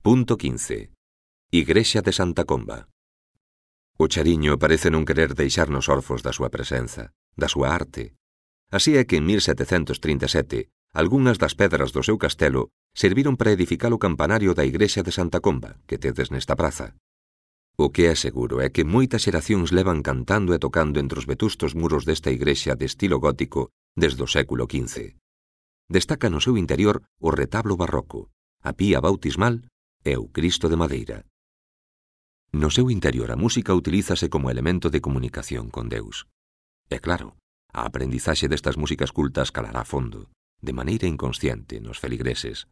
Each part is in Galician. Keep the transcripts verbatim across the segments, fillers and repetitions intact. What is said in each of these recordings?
Punto quince. Igrexa de Santa Comba. O Chariño parece non querer deixarnos orfos da súa presenza, da súa arte. Así é que en mil setecentos trinta e sete, algunhas das pedras do seu castelo serviron para edificar o campanario da igrexa de Santa Comba, que tedes nesta praza. O que é seguro é que moitas xeracións levan cantando e tocando entre os vetustos muros desta igrexa de estilo gótico desde o século quince. Destaca no seu interior o retablo barroco, a pía bautismal e o Cristo de madeira. No seu interior a música utilízase como elemento de comunicación con Deus. E claro, a aprendizaxe destas músicas cultas calará a fondo, de maneira inconsciente, nos feligreses.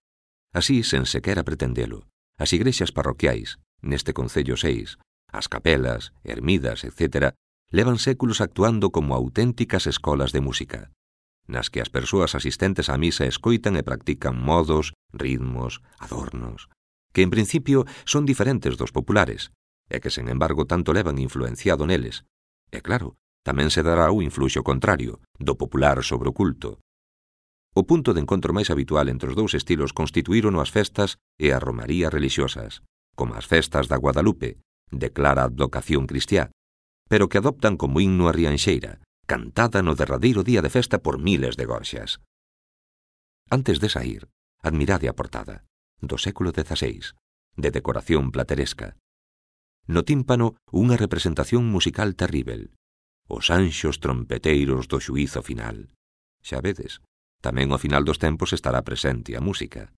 Así, sen sequera pretendelo, as igrexas parroquiais, neste Concello seis, as capelas, ermidas, etcétera, levan séculos actuando como auténticas escolas de música, nas que as persoas asistentes á misa escoitan e practican modos, ritmos, adornos, que en principio son diferentes dos populares, e que, sen embargo, tanto levan influenciado neles. E claro, tamén se dará o influxo contrario, do popular sobre o culto. O punto de encontro máis habitual entre os dous estilos constituírono as festas e as romarías religiosas, como as festas da Guadalupe, de clara advocación cristiá, pero que adoptan como himno a rianxeira, cantada no derradeiro día de festa por miles de gorxas. Antes de saír, admirade a portada, do século dezaseis, de decoración plateresca. No tímpano, unha representación musical terríbel, os anxos trompeteiros do xuízo final. Xa vedes, tamén ao final dos tempos estará presente a música.